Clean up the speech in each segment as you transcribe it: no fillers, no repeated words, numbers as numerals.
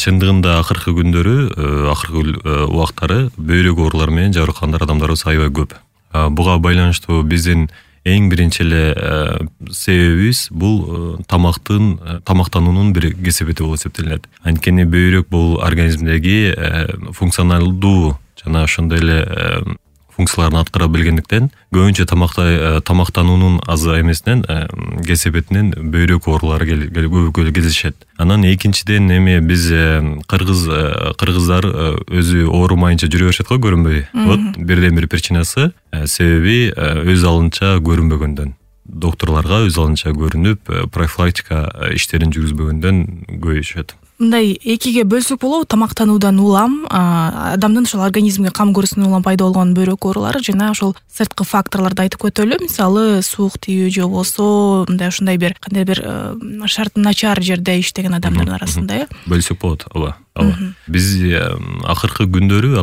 чындыгында акыркы күндөрү, акыркы убактары бөйрөк оорулары менен жабыркагандар адамдарыбыз аябай көп. Буга байланыштуу биздин эң биринчи эле себебибиз бул тамактануунун бир кесепети болуп эсептелинет. Анткени бөйрөк бул организмдеги функционалдуу жана ошондой эле функцияларын аткара билгендиктен көбүнчө тамактануунун аз эмесинен кесепетинен бөйрөк оорулары көбү кездешет. Анан экинчиден биз кыргыздар өзү оорумайынча жүрө беришет го, көрүнбөй. Вот бирден бир причинасы себеби өз алынча көрүнбөгөндөн. Докторлорго өз алынча көрүнүп, профилактика иштерин жүргүзбөгөндөн көбөйүшөт. Мындай экиге бөлсөк болобу, тамактануудан улам, адамдын ошол организмге кам көрүүсүнөн улам пайда болгон бөйрөк оорулары жана ошол сырткы факторлорду айтып өтөлү. Мисалы, суук тийүү же болбосо ушундай бир кандай бир шарты начар жерде иштеген адамдардын арасында, бөлсөк болот. Ооба. Биз акыркы күндөрү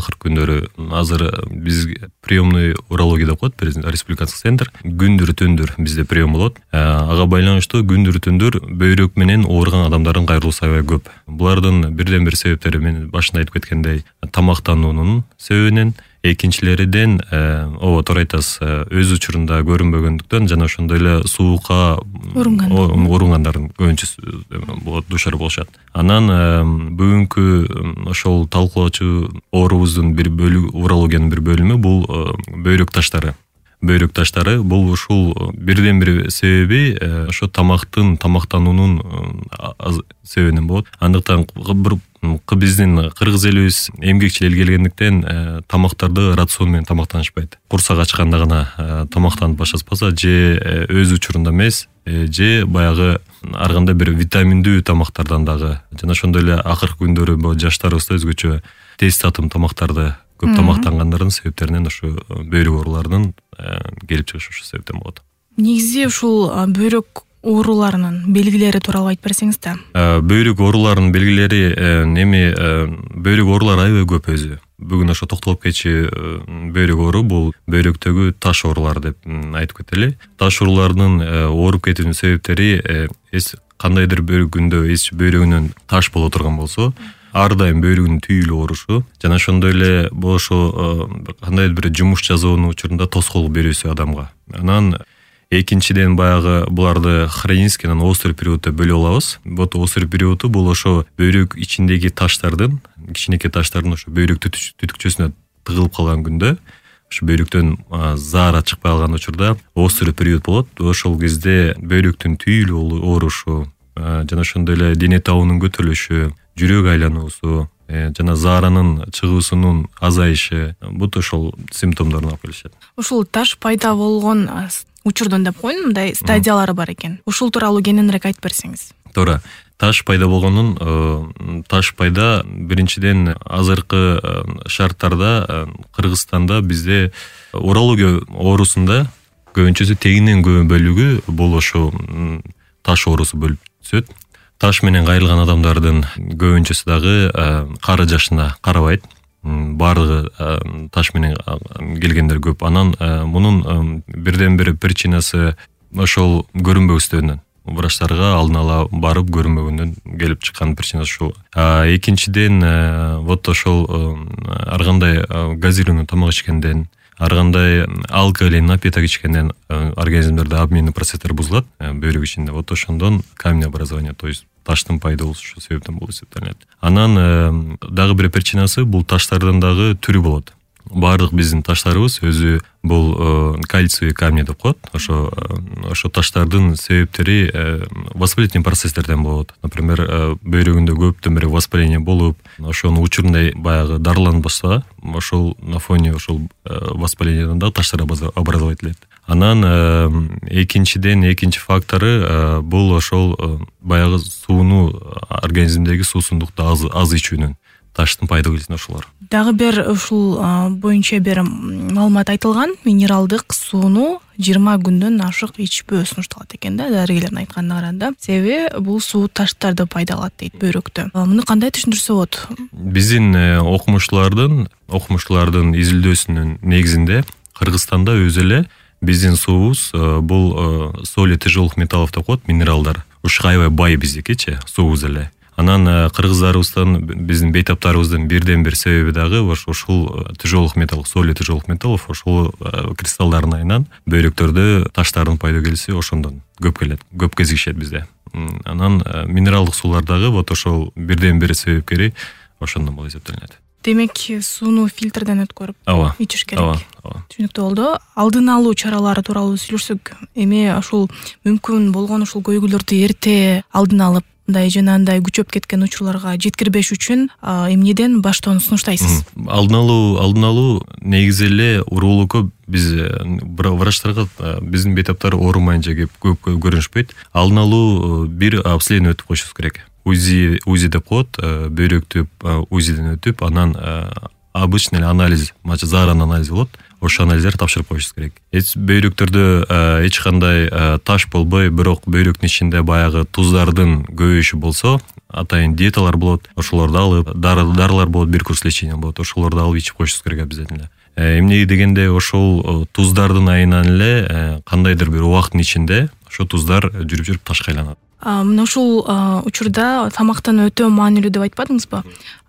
азыр биз приемный урология деп коет, республикалык центр. Күндүр түндүр бизде прием болот. Ага байланыштуу күндүр түндүр бөйрөк менен ооруган адамдардын кайрылуусу аябай көп. Булардын бирден бир себептери мен башында айтып кеткендей тамактануунун себебинен, экинчилериден ооба туура айтасыз, өз учурунда көрүнбөгөндүктөн жана ошондой эле суукка оорунгандардын көбүнчөсү душар болушат. Анан бүгүнкү ошол талкуулоочу оорубуздун бир бөлүгү, урологиянын бир бөлүмү бул бөйрөк таштары. Бөйрөк таштары бул ушул бирден бир себеби ошо тамактануунун себебинен болот. Андыктан биздин кыргыз элибиз эмгекчил эл келгендиктен тамактарды рацион менен тамактанышпайт. Курсак ачканда гана тамактанып башташпаса, же өз учурунда эмес, же баягы ар кандай бир витаминдүү тамактардан дагы, жана ошондой эле акыркы күндөрү жаштарыбызда өзгөчө тез татым тамактарды көп тамактангандардын себептеринен ушу бөйрөк ооруларынын келип чыгышы ушул себептен болот. Негизи ушул бөйрөк ооруларынын белгилери тууралуу айтып берсеңиз да. Бөйрөк ооруларынын белгилери бөйрөк оорулары аябай көп өзү. Бүгүн ошо токтолуп кетчү бөйрөк оору бул бөйрөктөгү таш оорулар деп айтып кетели. Таш ооруларынын ооруп кетүүнүн себептери кандайдыр бир күндө бөйрөгүнөн таш боло турган болсо, ар дайым бөйрөгүнүн түйүлүп оорушу жана ошондой эле ошо кандайдыр бир жумуш жасоонун учурунда тоскоолдук берүүсү адамга. Анан экинчиден баягы буларды хронический анан острый период деп бөлүп алабыз. Вот острый периоду бул ошо бөйрөк ичиндеги таштардын, кичинекей таштардын ошо бөйрөк түтүкчөсүнө тыгылып калган күндө, ошо бөйрөктөн заара чыкпай калган учурда острый период болот. Ошол кезде бөйрөктүн түйүлүп оорушу жана ошондой эле дене табынын көтөрүлүшү, жүрөк айлануусу жана зааранын чыгуусунун азайышы, бут ошол симптомдорун алып келишет. Ушул таш пайда болгон учурдун деп коеюн, мындай стадиялары бар экен. Ушул тууралуу кененирээк айтып берсеңиз. Туура. Таш пайда болгонун, таш пайда биринчиден азыркы шарттарда Кыргызстанда бизде урология оорусунда көбүнчөсү тегинен көп бөлүгү бул ошо таш оорусу бөлүп түсөт. Таш менен кайрылган адамдардын көбүнчөсү дагы кары жашына карабайт. Бардыгы таш менен келгендер көп. Анан мунун бирден бир причинасы ошол көрүнбөстүгүнөн. Врачтарга алдын ала барып көрүнбөгөндөн келип чыккан причинасы ушул. Экинчиден вот ошол ар кандай газированный тамак ичкенден, ар кандай алкоголь напиток ичкенден организмдерде обменный процесстер бузулат бөйрөк ичинде. Вот ошондон камнеобразование, то есть таштын пайда болушу ушул себептен болуп эсептелет. Анан дагы бир причинасы бул таштардын дагы түрү болот. Бардык биздин таштарыбыз өзү бул кальциевый камни деп коет. Ошо таштардын себептери воспалительный процесстерден болот. Например, бөйрөгүндө көптөн бери воспаление болуп, ошонун учурунда баягы дарыланбаса, ошол на фоне ошол воспалениеден да таштар образовать этилет. Анан экинчи фактору бул ошол баягы сууну, организмдеги суусундукту аз ичүүнүн таштын пайда келүүсүнө ошолор. Дагы бир ушул боюнча бир маалымат айтылган, минералдык сууну 20 күндөн ашык ичпөө сунушталат экен да, дарыгерлердин айтканына караганда. Себеби бул суу таштарды пайда кылат дейт бөйрөктө. Муну кандай түшүндүрсө болот? Биздин окумуштуулардын изилдөөсүнүн негизинде Кыргызстанда өзү эле биздин суубуз бул соли тяжелых металлов деп коет, минералдар. Ушу аябай бай биздикичи суубуз эле. Анан кыргыздарыбыздан биздин бейтаптарыбыздын бирден бир себеби дагы ушул тяжелых металлов, соли тяжелых металлов ошол кристаллдардын айынан бөйрөктөрдө таштардын пайда келиши ошондон көп келет, көп кезигишет бизде. Анан минералдык суулардагы вот ошол бирден бир себепкери ошондон болуп эсептелинет. Демек сууну фильтрден өткөрүп ичиш керек. Түшүнүктүү болду. Алдын алуу чаралары тууралуу сүйлөшсөк, эми ошол мүмкүн болгон ушул көйгүйлөрдү эрте алдын алып, мындай жанагындай күчөп кеткен учурларга жеткирбеш үчүн эмнеден баштоону сунуштайсыз? Алдын алуу негизи эле уруулукка биз врачтарга биздин бейтаптар оорумайынча көп көрүнүшпөйт. Алдын алуу бир обследование өтүп коюшубуз керек. УЗИ деп коет, бөйрөктү УЗИден өтүп, анан обычный анализ, зааранын анализи болот. Ошол анализдерди тапшырып коюшубуз керек. Бөйрөктөрдө эч кандай таш болбой, бирок бөйрөктүн ичинде баягы туздардын көбөйүшү болсо, атайын диеталар болот, ошолорду алып, дарылар болот, бир курс лечения болот, ошолорду алып ичип коюшубуз керек обязательно. Эмне дегенде ошол туздардын айынан эле кандайдыр бир убакыттын ичинде ошол туздар жүрүп ташка айланат. Мына ушул учурда тамактан өтө маанилүү деп айтпадыңызбы?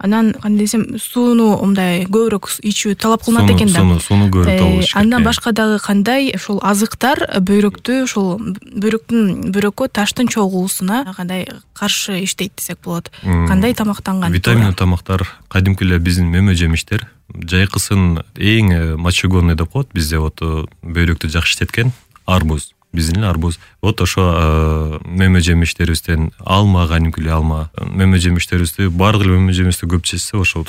Анан кандай десем, сууну мындай көбүрөөк ичүү талап кылынат экен да. Сууну көбүрөөк алыш керек. Андан башка дагы кандай ушул азыктар бөйрөктү ушул бөйрөккө таштын чогулуусуна кандай каршы иштейт десек болот? Кандай тамактанган? Витаминдүү тамактар, кадимки эле биздин мөмө жемиштер, жайкысын эң мочегонный деп коет бизде, вот бөйрөктү жакшы иштеткен арбуз. Биздин арбуз. Вот ошо мөмө жемиштерибизден алма, кадимки эле алма, мөмө жемиштерибизди, баардык эле мөмө жемишти көп жешсе, ошол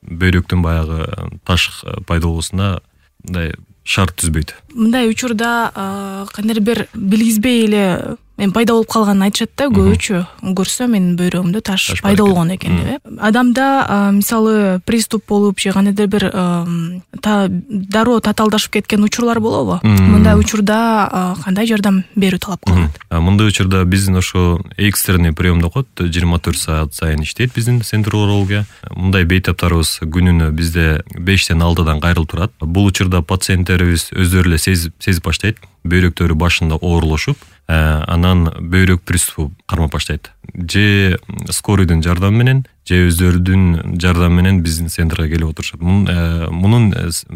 бөйрөктүн баягы таш пайда болуусуна мындай шарт түзбөйт. Мындай учурда кандайдыр бир билгизбей эле пайда болуп калганын айтышат да, көбүчө көрсө менин бөйрөгүмдө таш пайда болгон экен деп. Адамда мисалы приступ болуп же кандайдыр бир дароо татаалдашып кеткен учурлар болобу? Мындай учурда кандай жардам берүү талап кылынат? Мындай учурда биздин ошо экстренный прием деп коет, 24 саат сайын иштейт биздин центр урология. Мындай бейтаптарыбыз күнүнө бизде 5-тен 6-дан кайрылып турат. Бул учурда пациенттерибиз өздөрү эле сезип баштайт, бөйрөктөрү башында оорулушуп, анан бөйрөк приступу кармап баштайт. Же скорыйдын жардамы менен, же өздөрүнүн жардамы менен биздин центрге келип отурушат. Мунун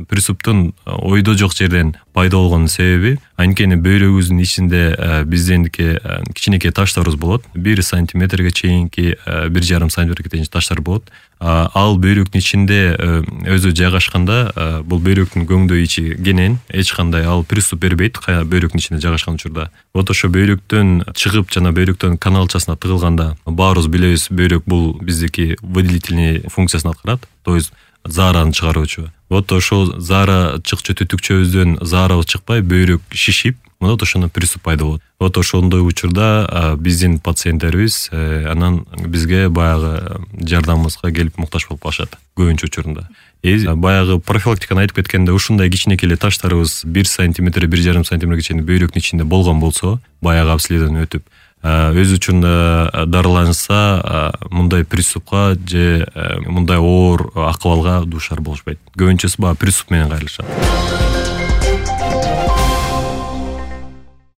приступтун ойдо жок жерден пайда болгон себеби анткени бөйрөгүбүздүн ичинде бизденики кичинекей таштарыбыз болот. 1 сантиметрге чейинки, 1,5 сантиметрге чейин таштар болот. Ал бөйрөктүн ичинде өзү жайгашканда, бул бөйрөктүн көңдөй ичи кенен, эч кандай ал приступ бербейт бөйрөктүн ичинде жайгашкан учурда. Вот ошо бөйрөктөн чыгып, жана бөйрөктөн каналчасына тыгылганда, баарыбыз билебиз, бөйрөк бул биздики выделительный функциясын аткарат, то есть заараны чыгаруучу. Вот ошол заара чыкчу түтүкчөбүздөн заарабыз чыкпай, бөйрөк шишип, мына ошондон приступ пайда болот. Вот ошондой учурда биздин пациенттерибиз анан бизге баягы жардамыбызга келип муктаж болуп калышат көбүнчө учурунда. Баягы профилактиканы айтып кеткенде, ушундай кичинекей эле таштарыбыз 1 сантиметр, 1,5 сантиметрге чейин бөйрөктүн ичинде болгон болсо, баягы обследование өтүп, өз учурунда дарыланса, мындай приступка же мындай оор акыбалга дуушар болушпайт. Көбүнчөсү баягы приступ менен кайрылышат.